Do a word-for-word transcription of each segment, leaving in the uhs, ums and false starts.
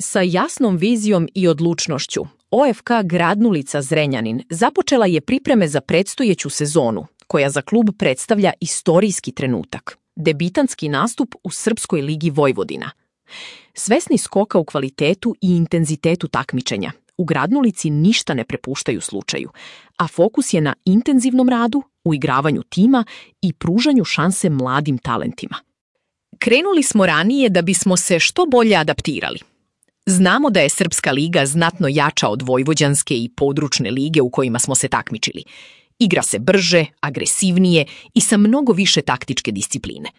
Sa jasnom vizijom i odlučnošću, O F K Gradnulica Zrenjanin započela je pripreme za predstojeću sezonu, koja za klub predstavlja istorijski trenutak, debitanski nastup u Srpskoj ligi Vojvodina. Svesni skoka u kvalitetu i intenzitetu takmičenja, u Gradnulici ništa ne prepuštaju slučaju, a fokus je na intenzivnom radu, uigravanju tima i pružanju šanse mladim talentima. Krenuli smo ranije da bismo se što bolje adaptirali. Znamo da je Srpska liga znatno jača od vojvođanske i područne lige u kojima smo se takmičili. Igra se brže, agresivnije i sa mnogo više taktičke discipline.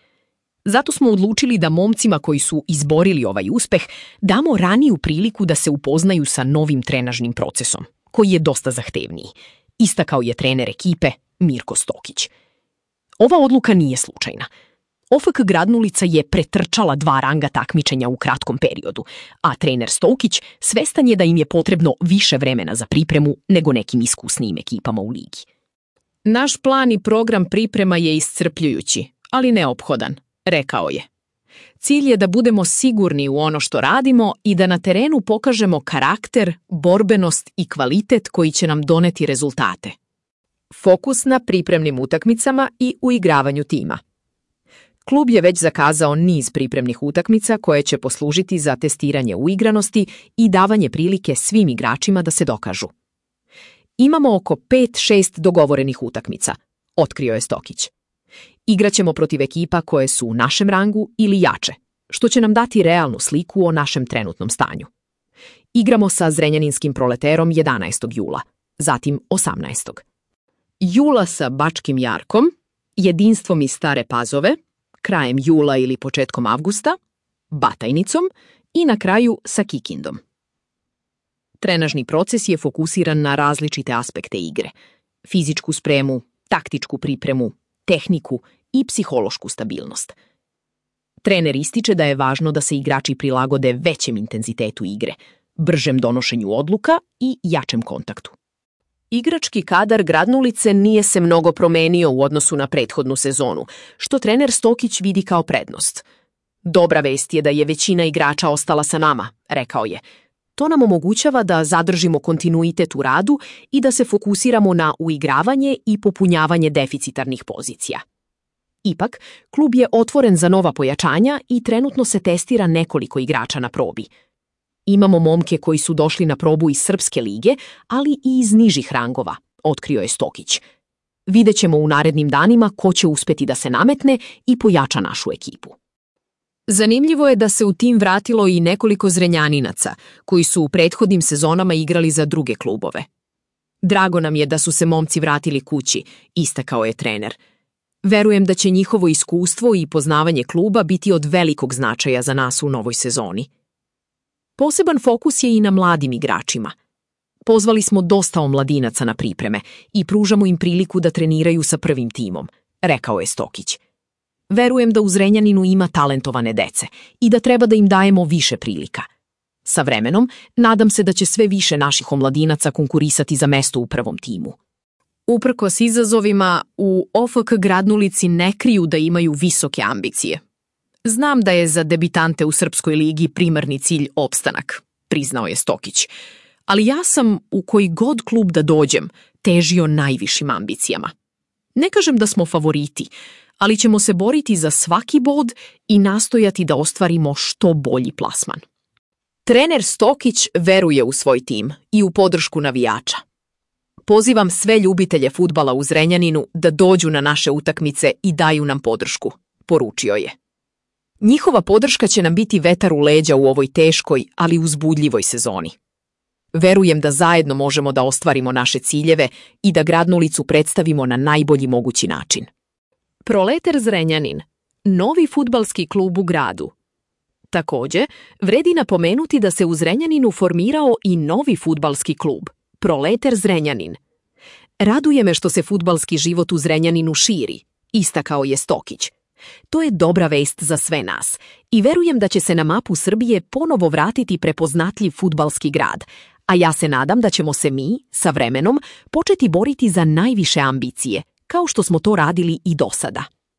Zato smo odlučili da momcima koji su izborili ovaj uspeh damo raniju priliku da se upoznaju sa novim trenažnim procesom, koji je dosta zahtevniji. Istakao je trener ekipe Mirko Stokić. Ova odluka nije slučajna. O F K Gradnulica je pretrčala dva ranga takmičenja u kratkom periodu, a trener Stokić svestan je da im je potrebno više vremena za pripremu nego nekim iskusnijim ekipama u ligi. Naš plan i program priprema je iscrpljujući, ali neophodan, rekao je. Cilj je da budemo sigurni u ono što radimo i da na terenu pokažemo karakter, borbenost i kvalitet koji će nam doneti rezultate. Fokus na pripremnim utakmicama i uigravanju tima. Klub je već zakazao niz pripremnih utakmica koje će poslužiti za testiranje uigranosti i davanje prilike svim igračima da se dokažu. Imamo oko pet šest dogovorenih utakmica, otkrio je Stokić. Igraćemo protiv ekipa koje su u našem rangu ili jače, što će nam dati realnu sliku o našem trenutnom stanju. Igramo sa Zrenjaninskim Proleterom jedanaestog jula, zatim osamnaestog jula sa Bačkim Jarkom, Jedinstvom iz Stare Pazove, krajem jula ili početkom avgusta, Batajnicom i na kraju sa Kikindom. Trenažni proces je fokusiran na različite aspekte igre, fizičku spremu, taktičku pripremu, tehniku i psihološku stabilnost. Trener ističe da je važno da se igrači prilagode većem intenzitetu igre, bržem donošenju odluka i jačem kontaktu. Igrački kadar Gradnulice nije se mnogo promenio u odnosu na prethodnu sezonu, što trener Stokić vidi kao prednost. Dobra vest je da je većina igrača ostala sa nama, rekao je. To nam omogućava da zadržimo kontinuitet u radu i da se fokusiramo na uigravanje i popunjavanje deficitarnih pozicija. Ipak, klub je otvoren za nova pojačanja i trenutno se testira nekoliko igrača na probi. Imamo momke koji su došli na probu iz Srpske lige, ali i iz nižih rangova, otkrio je Stokić. Vidjet ćemo u narednim danima ko će uspeti da se nametne i pojača našu ekipu. Zanimljivo je da se u tim vratilo i nekoliko Zrenjaninaca, koji su u prethodnim sezonama igrali za druge klubove. Drago nam je da su se momci vratili kući, istakao je trener. Verujem da će njihovo iskustvo i poznavanje kluba biti od velikog značaja za nas u novoj sezoni. Poseban fokus je i na mladim igračima. Pozvali smo dosta omladinaca na pripreme i pružamo im priliku da treniraju sa prvim timom, rekao je Stokić. Verujem da u Zrenjaninu ima talentovane dece i da treba da im dajemo više prilika. Sa vremenom, nadam se da će sve više naših omladinaca konkurisati za mesto u prvom timu. Uprkos izazovima, u O F K Gradnulici ne kriju da imaju visoke ambicije. Znam da je za debitante u Srpskoj ligi primarni cilj opstanak, priznao je Stokić. Ali ja sam, u koji god klub da dođem, težio najvišim ambicijama. Ne kažem da smo favoriti, ali ćemo se boriti za svaki bod i nastojati da ostvarimo što bolji plasman. Trener Stokić veruje u svoj tim i u podršku navijača. Pozivam sve ljubitelje fudbala u Zrenjaninu da dođu na naše utakmice i daju nam podršku, poručio je. Njihova podrška će nam biti vetar u leđa u ovoj teškoj, ali uzbudljivoj sezoni. Verujem da zajedno možemo da ostvarimo naše ciljeve i da Gradnulicu predstavimo na najbolji mogući način. Proleter Zrenjanin, novi fudbalski klub u gradu. Također, vredi napomenuti da se u Zrenjaninu formirao i novi fudbalski klub, Proleter Zrenjanin. Raduje me što se fudbalski život u Zrenjaninu širi, istakao je Stokić. To je dobra vest za sve nas i verujem da će se na mapu Srbije ponovo vratiti prepoznatljiv fudbalski grad, a ja se nadam da ćemo se mi, sa vremenom, početi boriti za najviše ambicije, kao što smo to radili i do sada.